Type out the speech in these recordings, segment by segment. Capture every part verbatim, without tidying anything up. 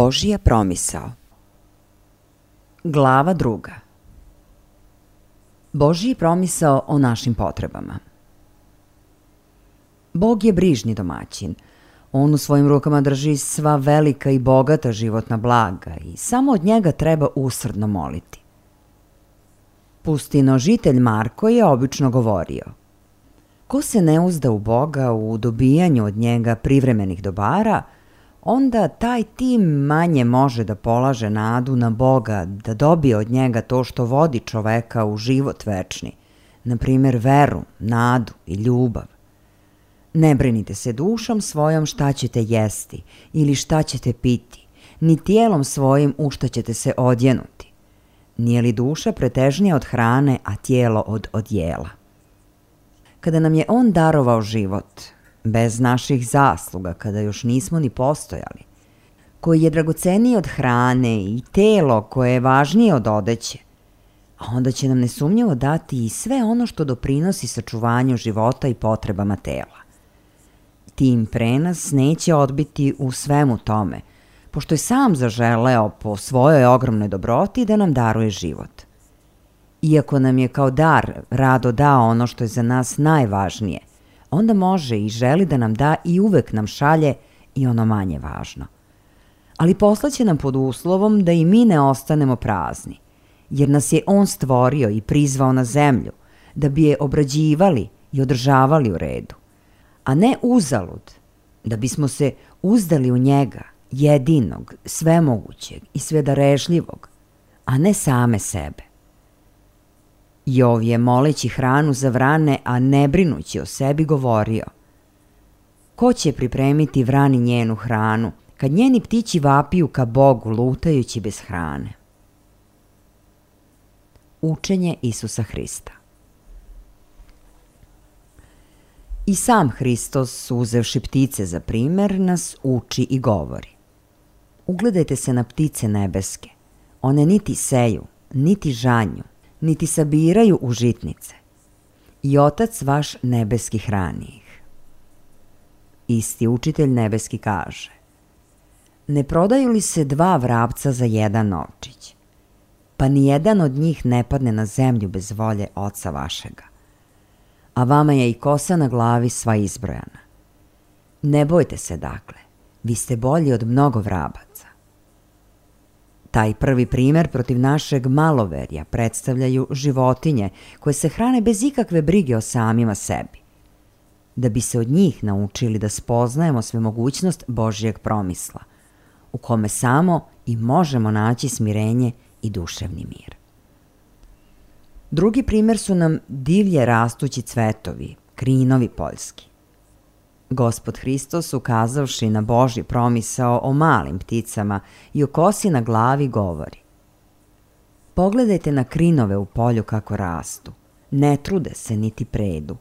Božija promisao. Glava druga. Božji promisao o našim potrebama. Bog je brižni domaćin. On u svojim rukama drži sva velika i bogata životna blaga i samo od njega treba usrdno moliti. Pustinožitelj Marko je obično govorio: ko se ne uzda u Boga u dobijanju od njega privremenih dobara, onda taj tim manje može da polaže nadu na Boga da dobije od njega to što vodi čoveka u život večni, na primjer veru, nadu i ljubav. Ne brinite se dušom svojom šta ćete jesti ili šta ćete piti, ni tijelom svojim u šta ćete se odjenuti. Nije li duša pretežnija od hrane, a tijelo od odjela? Kada nam je On darovao život, bez naših zasluga, kada još nismo ni postojali, koji je dragoceniji od hrane i telo koje je važnije od odeće, a onda će nam nesumnjivo dati i sve ono što doprinosi sačuvanju života i potrebama tela. Tim pre nas neće odbiti u svemu tome, pošto je sam zaželeo po svojoj ogromnoj dobroti da nam daruje život. Iako nam je kao dar rado dao ono što je za nas najvažnije, onda može i želi da nam da i uvek nam šalje i ono manje važno. Ali poslaće nam pod uslovom da i mi ne ostanemo prazni, jer nas je On stvorio i prizvao na zemlju, da bi je obrađivali i održavali u redu, a ne uzalud, da bismo se uzdali u njega, jedinog, svemogućeg i svedarežljivog, a ne same sebe. Jov je, moleći hranu za vrane, a ne brinući o sebi, govorio: ko će pripremiti vrani njenu hranu, kad njeni ptići vapiju ka Bogu lutajući bez hrane? Učenje Isusa Hrista. I sam Hristos, uzevši ptice za primer, nas uči i govori: ugledajte se na ptice nebeske, one niti seju, niti žanju, niti sabiraju u žitnice, i Otac vaš nebeski hrani ih. Isti učitelj nebeski kaže: ne prodaju li se dva vrapca za jedan novčić? Pa ni jedan od njih ne padne na zemlju bez volje Oca vašega. A vama je i kosa na glavi sva izbrojana. Ne bojte se dakle, vi ste bolji od mnogo vrabaca. Taj prvi primer protiv našeg maloverja predstavljaju životinje koje se hrane bez ikakve brige o samima sebi, da bi se od njih naučili da spoznajemo svemogućnost Božjeg promisla, u kome samo i možemo naći smirenje i duševni mir. Drugi primer su nam divlje rastući cvetovi, krinovi poljski. Gospod Hristos, ukazavši na Božji promisao o malim pticama i o kosi na glavi, govori: pogledajte na krinove u polju kako rastu, ne trude se niti predu,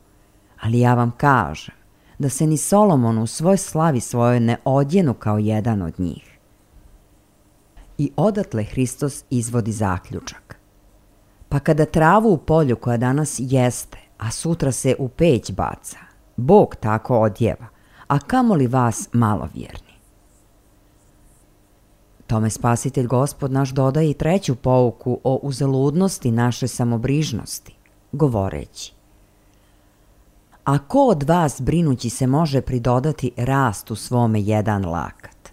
ali ja vam kažem da se ni Solomon u svoj slavi svojoj ne odjenu kao jedan od njih. I odatle Hristos izvodi zaključak: pa kada travu u polju koja danas jeste, a sutra se u peć baca, Bog tako odjeva, a kamoli vas malovjerni. Tome Spasitelj Gospod naš dodaje i treću pouku o uzaludnosti naše samobrižnosti, govoreći: a ko od vas brinući se može pridodati rast u svome jedan lakat?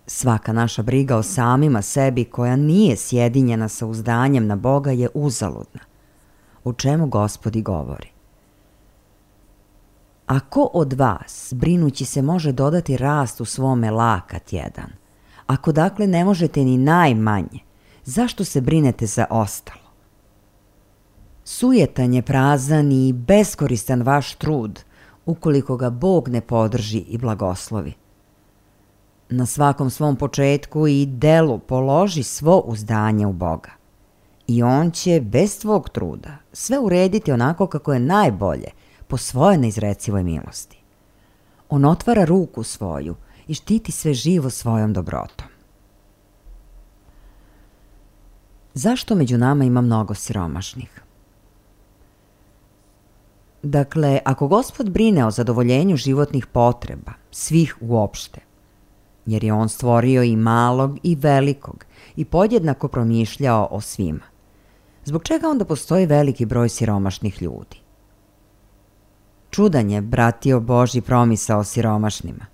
Svaka naša briga o samima sebi koja nije sjedinjena sa uzdanjem na Boga je uzaludna, o čemu Gospod i govori: a ko od vas, brinući se, može dodati rast u svome lakat jedan? Ako dakle ne možete ni najmanje, zašto se brinete za ostalo? Sujetan je prazan i beskoristan vaš trud, ukoliko ga Bog ne podrži i blagoslovi. Na svakom svom početku i delu položi svo uzdanje u Boga, i On će bez tvog truda sve urediti onako kako je najbolje po svojoj neizrecivoj milosti. On otvara ruku svoju i štiti sve živo svojom dobrotom. Zašto među nama ima mnogo siromašnih? Dakle, ako Gospod brine o zadovoljenju životnih potreba, svih uopšte, jer je on stvorio i malog i velikog i podjednako promišljao o svima. Zbog čega onda postoji veliki broj siromašnih ljudi? Čudan je, bratio, Božji promisao o siromašnima.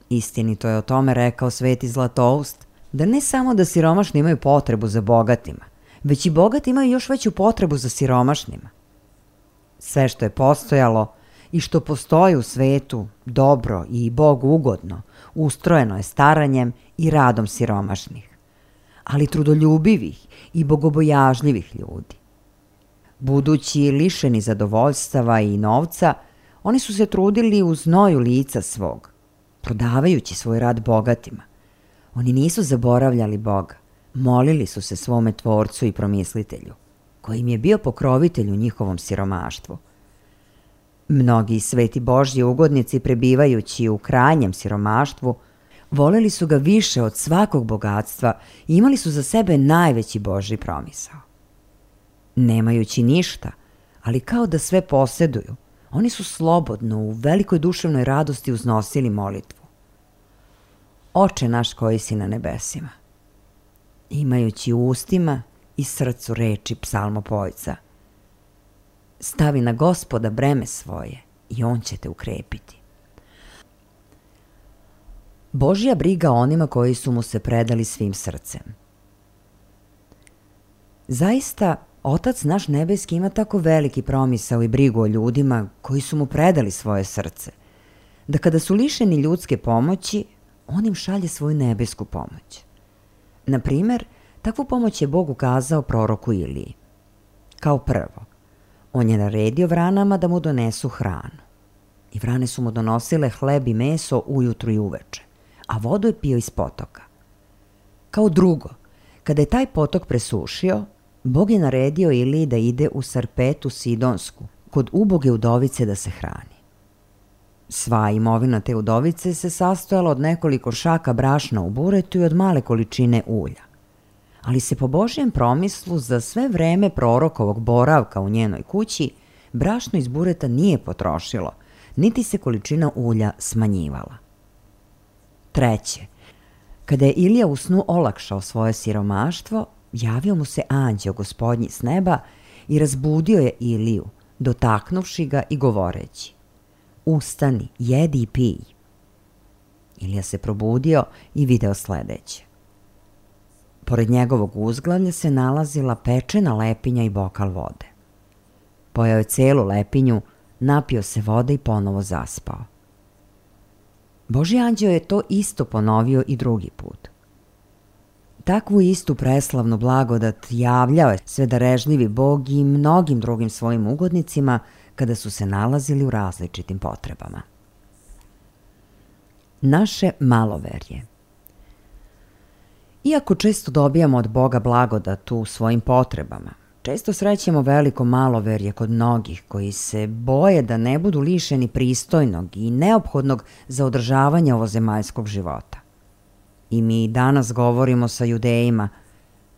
Istinito je o tome rekao Sveti Zlatoust, da ne samo da siromašni imaju potrebu za bogatima, već i bogati imaju još veću potrebu za siromašnima. Sve što je postojalo i što postoji u svetu, dobro i Bogu ugodno, ustrojeno je staranjem i radom siromašnih, ali trudoljubivih i bogobojažljivih ljudi. Budući lišeni zadovoljstava i novca, oni su se trudili u znoju lica svog, prodavajući svoj rad bogatima. Oni nisu zaboravljali Boga, molili su se svome Tvorcu i Promislitelju, koji im je bio pokrovitelj u njihovom siromaštvu. Mnogi sveti Božji ugodnici, prebivajući u krajnjem siromaštvu, voleli su ga više od svakog bogatstva i imali su za sebe najveći Božji promisao. Nemajući ništa, ali kao da sve poseduju, oni su slobodno u velikoj duševnoj radosti uznosili molitvu. Oče naš koji si na nebesima, imajući u ustima i srcu reči psalmopojca, stavi na Gospoda breme svoje i on će te ukrepiti. Božja briga onima koji su mu se predali svim srcem. Zaista, Otac naš nebeski ima tako veliki promisao i brigu o ljudima koji su mu predali svoje srce, da kada su lišeni ljudske pomoći, on im šalje svoju nebesku pomoć. Na primer, takvu pomoć je Bog ukazao proroku Iliji. Kao prvo, on je naredio vranama da mu donesu hranu. I vrane su mu donosile hleb i meso ujutru i uveče, a vodu je pio iz potoka. Kao drugo, kada je taj potok presušio, Bog je naredio Iliji da ide u Sarpetu Sidonsku, kod uboge udovice da se hrani. Sva imovina te udovice se sastojala od nekoliko šaka brašna u buretu i od male količine ulja. Ali se po Božjem promislu za sve vreme prorokovog boravka u njenoj kući brašno iz bureta nije potrošilo, niti se količina ulja smanjivala. Treće, kada je Ilija u snu olakšao svoje siromaštvo, javio mu se anđeo Gospodnji s neba i razbudio je Iliju, dotaknuvši ga i govoreći: ustani, jedi i pij. Ilija se probudio i video sledeće. Pored njegovog uzglavlja se nalazila pečena lepinja i bokal vode. Pojeo je celu lepinju, napio se vode i ponovo zaspao. Božji anđeo je to isto ponovio i drugi put. Takvu istu preslavnu blagodat javljao je svedarežljivi Bog i mnogim drugim svojim ugodnicima kada su se nalazili u različitim potrebama. Naše maloverje. Iako često dobijamo od Boga blagodat u svojim potrebama, često srećemo veliko maloverje kod mnogih koji se boje da ne budu lišeni pristojnog i neophodnog za održavanje ovozemaljskog života. I mi danas govorimo sa Judejima,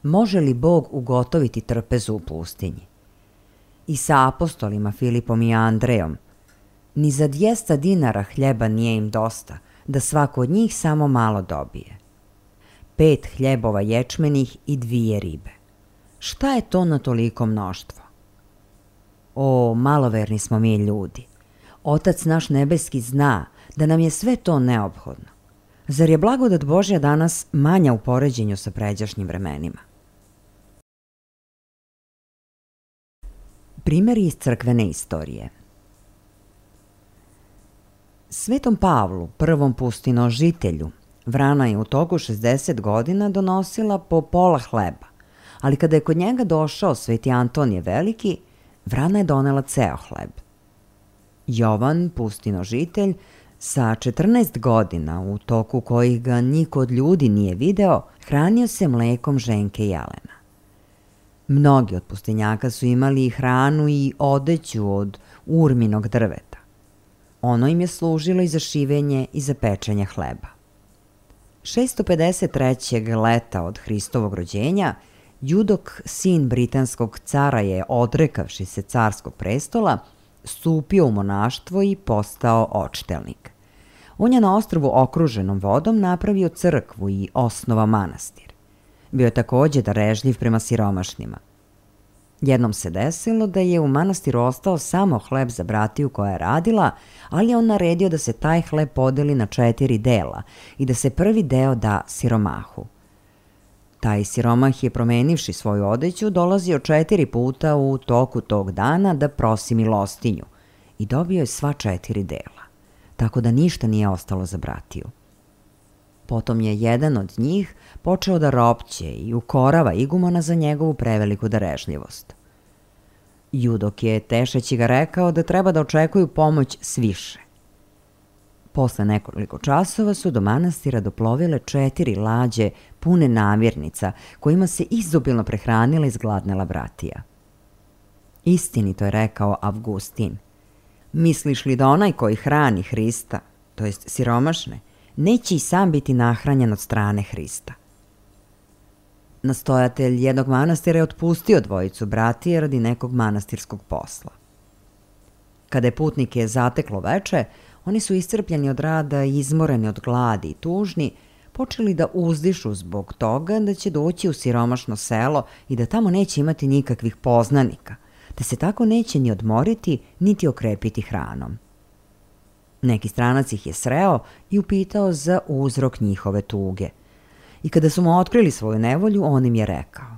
može li Bog ugotoviti trpezu u pustinji? I sa apostolima Filipom i Andrejom, ni za dvjesto dinara hljeba nije im dosta, da svako od njih samo malo dobije. Pet hljebova ječmenih i dvije ribe. Šta je to na toliko mnoštvo? O, maloverni smo mi ljudi. Otac naš nebeski zna da nam je sve to neophodno. Zar je blagodat Božja danas manja u poređenju sa pređašnjim vremenima? Primeri iz crkvene istorije. Svetom Pavlu, prvom pustinožitelju, vrana je u toku šezdeset godina donosila po pola hleba, ali kada je kod njega došao sveti Antonije Veliki, vrana je donela ceo hleb. Jovan, pustinožitelj, sa četrnaest godina, u toku kojih ga niko od ljudi nije video, hranio se mlekom ženke Jelena. Mnogi od pustinjaka su imali i hranu i odeću od urminog drveta. Ono im je služilo i za šivenje i za pečenje hleba. šesto pedeset trećeg leta od Hristovog rođenja, Judok, sin britanskog cara, je, odrekavši se carskog prestola, stupio u monaštvo i postao očitelnik. On je na ostrvu okruženom vodom napravio crkvu i osnovao manastir. Bio je takođe darežljiv prema siromašnima. Jednom se desilo da je u manastiru ostao samo hleb za bratiju koja je radila, ali je on naredio da se taj hleb podeli na četiri dela i da se prvi deo da siromahu. Taj siromah je, promenivši svoju odeću, dolazio četiri puta u toku tog dana da prosi milostinju i dobio je sva četiri dela, tako da ništa nije ostalo za bratiju. Potom je jedan od njih počeo da ropće i ukorava igumana za njegovu preveliku darežljivost. Judok je tešeći ga rekao da treba da očekuju pomoć sviše. Posle nekoliko časova su do manastira doplovile četiri lađe pune namirnica kojima se izobilno prehranila izgladnela bratija. Istinito je rekao Avgustin. Misliš li da onaj koji hrani Hrista, to jest siromašne, neće i sam biti nahranjen od strane Hrista? Nastojatelj jednog manastira je otpustio dvojicu bratije radi nekog manastirskog posla. Kada je putnike zateklo veče, oni su iscrpljeni od rada, izmoreni od gladi i tužni, počeli da uzdišu zbog toga da će doći u siromašno selo i da tamo neće imati nikakvih poznanika, te se tako neće ni odmoriti, niti okrepiti hranom. Neki stranac ih je sreo i upitao za uzrok njihove tuge. I kada su mu otkrili svoju nevolju, on im je rekao: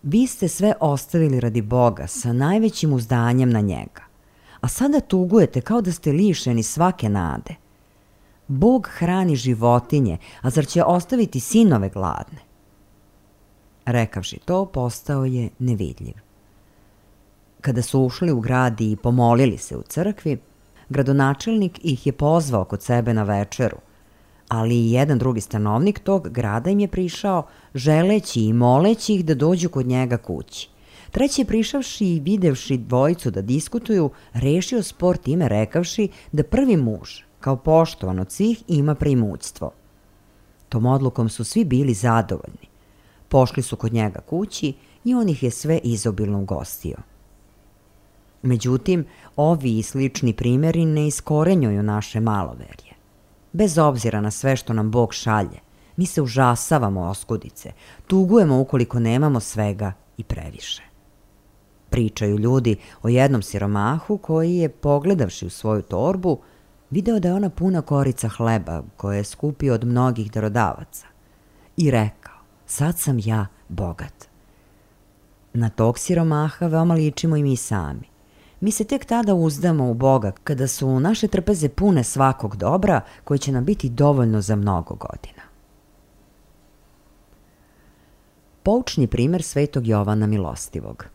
vi ste sve ostavili radi Boga sa najvećim uzdanjem na njega, a sada tugujete kao da ste lišeni svake nade. Bog hrani životinje, a zar će ostaviti sinove gladne? Rekavši to, postao je nevidljiv. Kada su ušli u grad i pomolili se u crkvi, gradonačelnik ih je pozvao kod sebe na večeru, ali i jedan drugi stanovnik tog grada im je prišao, želeći i moleći ih da dođu kod njega kući. Treći je prišavši i videvši dvojicu da diskutuju, rešio spor time rekavši da prvi muž, kao poštovan od svih, ima preimućstvo. Tom odlukom su svi bili zadovoljni. Pošli su kod njega kući i on ih je sve izobilno ugostio. Međutim, ovi i slični primjeri ne iskorenjuju naše maloverje. Bez obzira na sve što nam Bog šalje, mi se užasavamo oskudice, tugujemo ukoliko nemamo svega i previše. Pričaju ljudi o jednom siromahu koji je, pogledavši u svoju torbu, video da je ona puna korica hleba koje je skupio od mnogih darodavaca i rekao: sad sam ja bogat. Na tog siromaha veoma ličimo i mi sami. Mi se tek tada uzdamo u Boga kada su naše trpeze pune svakog dobra koje će nam biti dovoljno za mnogo godina. Poučni primer svetog Jovana Milostivog.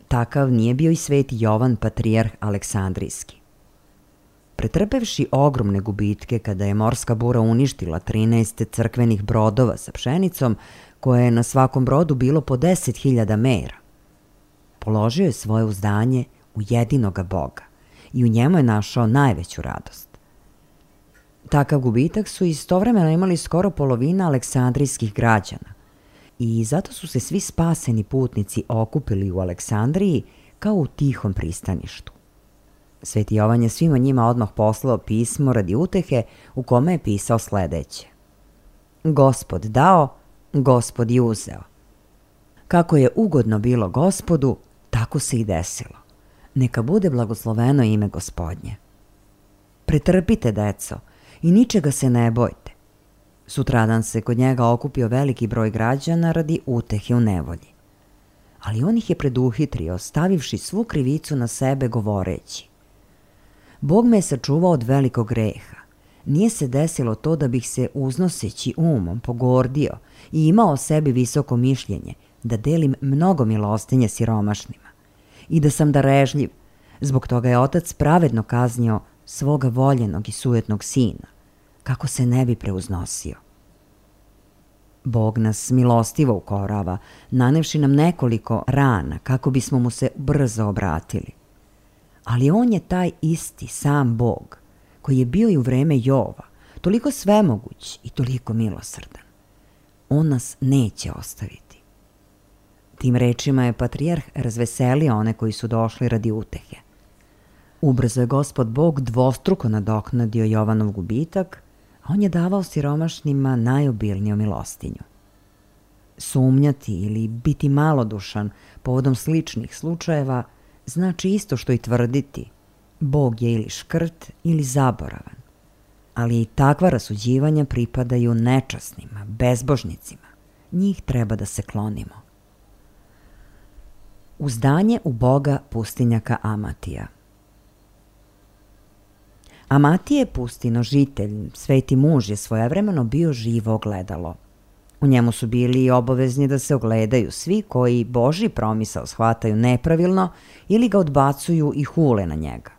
Takav nije bio i sveti Jovan, patrijarh Aleksandrijski. Pretrpevši ogromne gubitke kada je morska bura uništila trinaest crkvenih brodova sa pšenicom, koje je na svakom brodu bilo po deset hiljada mera, položio je svoje uzdanje u jedinoga Boga i u njemu je našao najveću radost. Takav gubitak su istovremeno imali skoro polovina aleksandrijskih građana i zato su se svi spaseni putnici okupili u Aleksandriji kao u tihom pristaništu. Sveti Jovan je svima njima odmah poslao pismo radi utehe u kome je pisao sledeće: Gospod dao, Gospod i uzeo. Kako je ugodno bilo Gospodu, tako se i desilo. Neka bude blagosloveno ime Gospodnje. Pretrpite, deco, i ničega se ne bojte. Sutradan se kod njega okupio veliki broj građana radi utehe u nevolji. Ali on ih je preduhitrio, stavivši svu krivicu na sebe, govoreći: Bog me je sačuvao od velikog greha. Nije se desilo to da bih se, uznoseći umom, pogordio i imao o sebi visoko mišljenje, da delim mnogo milostinje siromašnima i da sam darežljiv. Zbog toga je otac pravedno kaznio svoga voljenog i sujetnog sina, kako se ne bi preuznosio. Bog nas milostivo ukorava, nanevši nam nekoliko rana kako bismo mu se brzo obratili. Ali on je taj isti sam Bog koji je bio i u vreme Jova, toliko svemoguć i toliko milosrdan. On nas neće ostaviti. Tim rečima je patrijarh razveselio one koji su došli radi utehe. Ubrzo je Gospod Bog dvostruko nadoknadio Jovanov gubitak, a on je davao siromašnima najobilniju milostinju. Sumnjati ili biti malodušan povodom sličnih slučajeva znači isto što i tvrditi: Bog je ili škrt ili zaboravan. Ali i takva rasuđivanja pripadaju nečasnima, bezbožnicima. Njih treba da se klonimo. Uzdanje u Boga pustinjaka Amatija. Amatije, pustinožitelj, sveti muž, je svojevremeno bio živo ogledalo. U njemu su bili obavezni da se ogledaju svi koji Božji promisao shvataju nepravilno ili ga odbacuju i hule na njega.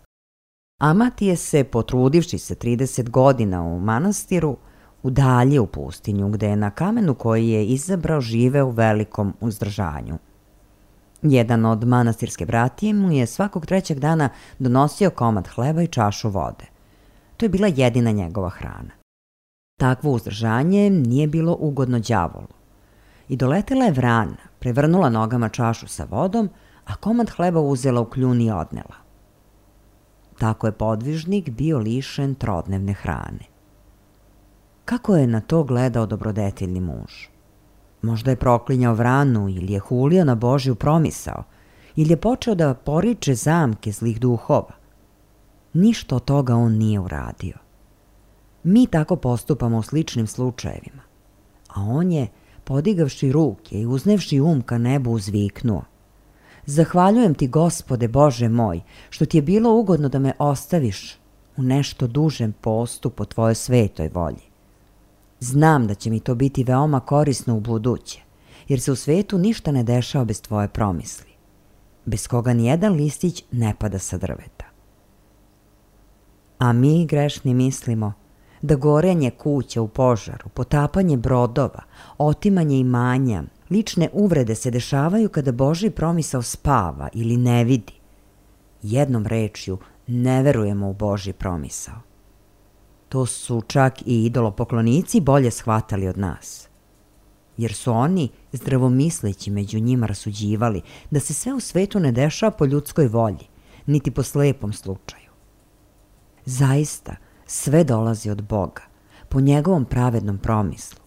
Amatije se, potrudivši se trideset godina u manastiru, udaljio u pustinju, gde je na kamenu koji je izabrao živeo u velikom uzdržanju. Jedan od manastirske bratije mu je svakog trećeg dana donosio komad hleba i čašu vode. To je bila jedina njegova hrana. Takvo uzdržanje nije bilo ugodno đavolu. I doletela je vrana, prevrnula nogama čašu sa vodom, a komad hleba uzela u kljun i odnela. Tako je podvižnik bio lišen trodnevne hrane. Kako je na to gledao dobrodeteljni muž? Možda je proklinjao vranu ili je hulio na Božju promisao, ili je počeo da poriče zamke zlih duhova. Ništa od toga on nije uradio. Mi tako postupamo u sličnim slučajevima, a on je, podigavši ruke i uznevši um ka nebu, uzviknuo: Zahvaljujem ti, Gospode Bože moj, što ti je bilo ugodno da me ostaviš u nešto dužem postu po tvojoj svetoj volji. Znam da će mi to biti veoma korisno u buduće, jer se u svetu ništa ne dešava bez tvoje promisli, bez koga nijedan listić ne pada sa drveta. A mi, grešni, mislimo da gorenje kuća u požaru, potapanje brodova, otimanje imanja, lične uvrede se dešavaju kada Božji promisao spava ili ne vidi. Jednom rečju, ne verujemo u Božji promisao. To su čak i idolopoklonici bolje shvatali od nas, jer su oni, zdravomisleći, među njima rasuđivali da se sve u svetu ne dešava po ljudskoj volji, niti po slepom slučaju. Zaista, sve dolazi od Boga, po njegovom pravednom promislu.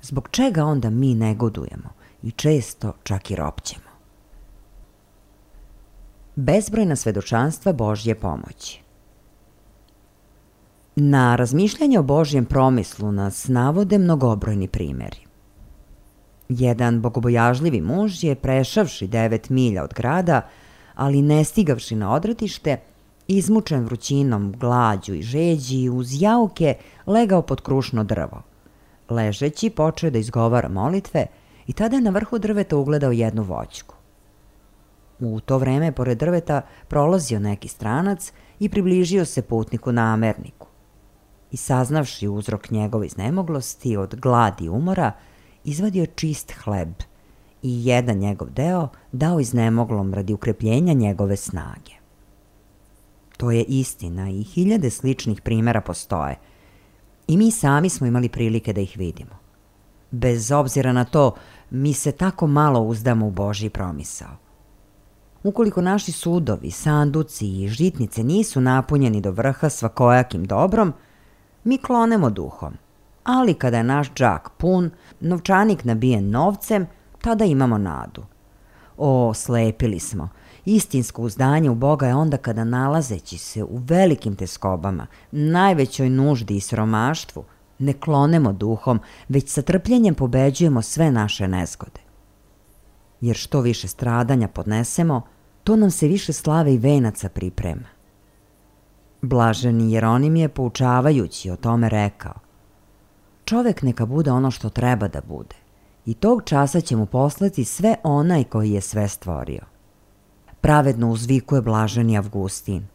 Zbog čega onda mi negodujemo i često čak i ropćemo? Bezbrojna svedočanstva Božje pomoći. Na razmišljanje o Božjem promislu nas navode mnogobrojni primeri. Jedan bogobojažljivi muž je, prešavši devet milja od grada, ali ne stigavši na odretište, izmučen vrućinom, glađu i žeđi, uz jauke legao pod krušno drvo. Ležeći počeo da izgovara molitve i tada je na vrhu drveta ugledao jednu voćku. U to vreme pored drveta prolazio neki stranac i približio se putniku namerniku. I saznavši uzrok njegove iznemoglosti od gladi i umora, izvadio čist hleb i jedan njegov deo dao iznemoglom radi ukrepljenja njegove snage. To je istina i hiljade sličnih primera postoje. I mi sami smo imali prilike da ih vidimo. Bez obzira na to, mi se tako malo uzdamo u Božji promisao. Ukoliko naši sudovi, sanduci i žitnice nisu napunjeni do vrha svakojakim dobrom, mi klonemo duhom. Ali kada je naš džak pun, novčanik nabijen novcem, tada imamo nadu. O, slepili smo. Istinsko uzdanje u Boga je onda kada, nalazeći se u velikim teskobama, najvećoj nuždi i siromaštvu, ne klonemo duhom, već sa trpljenjem pobeđujemo sve naše nezgode. Jer što više stradanja podnesemo, to nam se više slave i venaca priprema. Blaženi Jeronim je, poučavajući o tome, rekao: čovek neka bude ono što treba da bude, i tog časa će mu poslati sve onaj koji je sve stvorio. Pravedno uzvikuje blaženi Avgustin: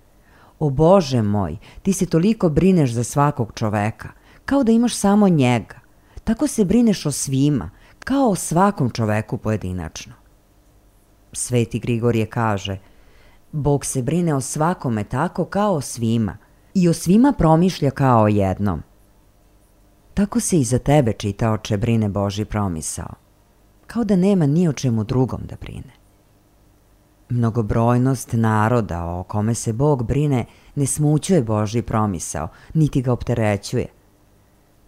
o Bože moj, ti se toliko brineš za svakog čoveka, kao da imaš samo njega. Tako se brineš o svima, kao o svakom čoveku pojedinačno. Sveti Grigorije kaže: Bog se brine o svakome tako kao o svima i o svima promišlja kao o jednom. Tako se i za tebe, čitaoče, brine Božji promisao, kao da nema ni o čemu drugom da brine. Mnogobrojnost naroda o kome se Bog brine ne smućuje Božji promisao, niti ga opterećuje.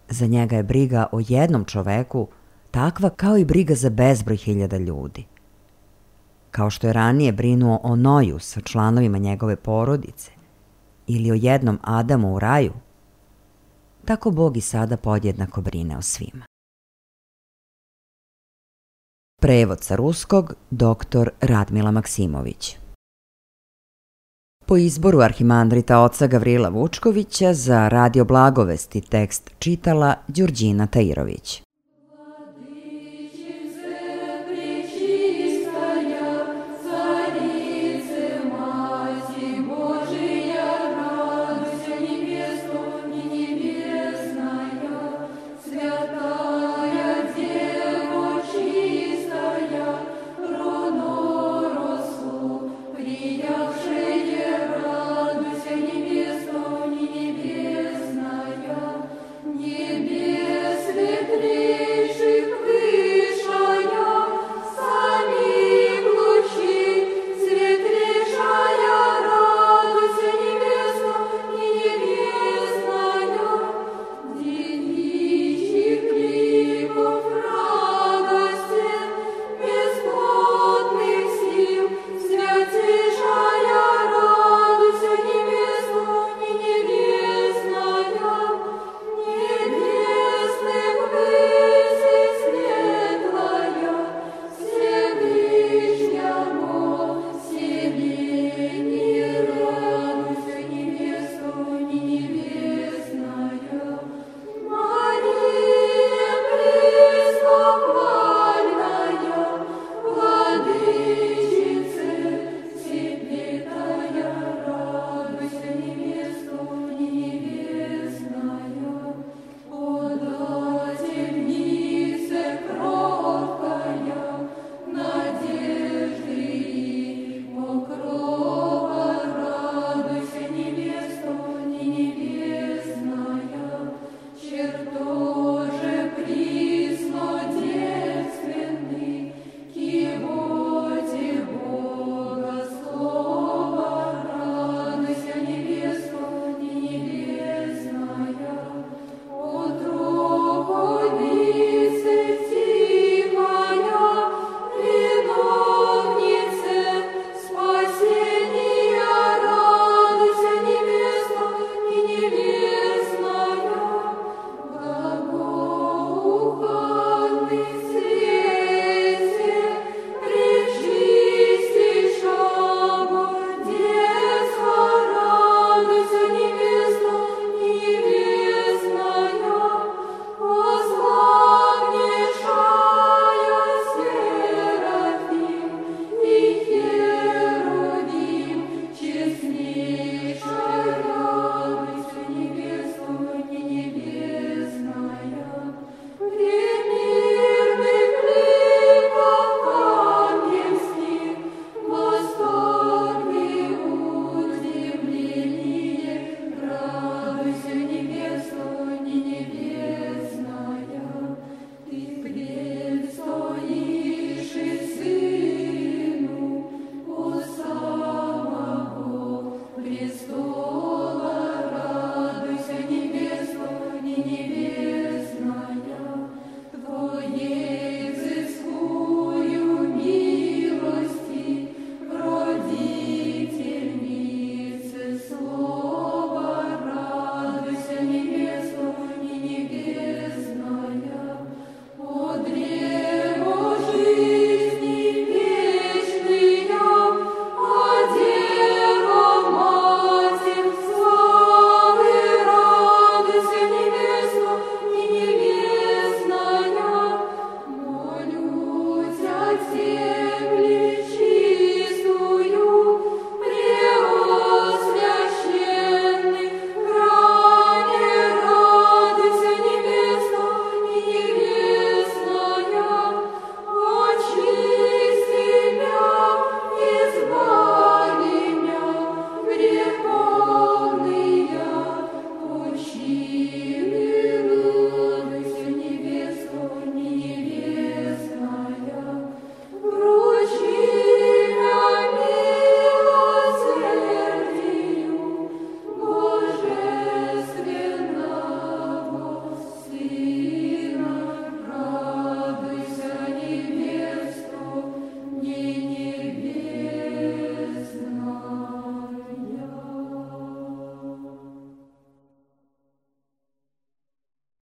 Za njega je briga o jednom čoveku takva kao i briga za bezbroj hiljada ljudi. Kao što je ranije brinuo o Noju sa članovima njegove porodice ili o jednom Adamu u raju, tako Bog i sada podjednako brine o svima. Prevod sa ruskog doktor Radmila Maksimović. Po izboru arhimandrita oca Gavrila Vučkovića za Radio Blagovesti tekst čitala Đurđina Tairović.